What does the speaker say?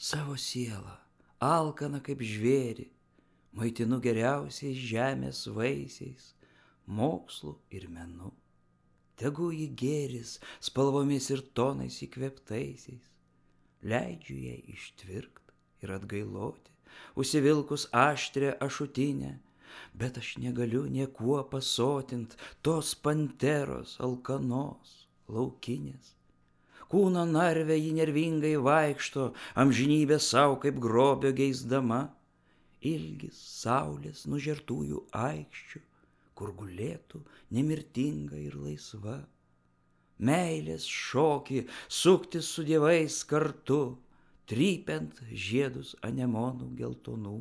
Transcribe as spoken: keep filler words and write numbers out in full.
Savo sielą, alkaną kaip žvėrį, maitinu geriausiais žemės vaisiais, mokslu ir menu. Tegu ji gėris spalvomis ir tonais įkvėptaisiais. Leidžiu jai ištvirkt ir atgailoti, užsivilkus aštrią ašutinę, bet aš negaliu niekuo pasotint tos panteros alkanos, laukinės. Kūno narve ji nervingai vaikšto, amžinybę sau kaip grobio geisdama. Ilgis saulės nužertųjų aikščių, kur gulėtų nemirtinga ir laisva. Meilės šokį suktis su dievais kartu, trypiant žiedus anemonų geltonų.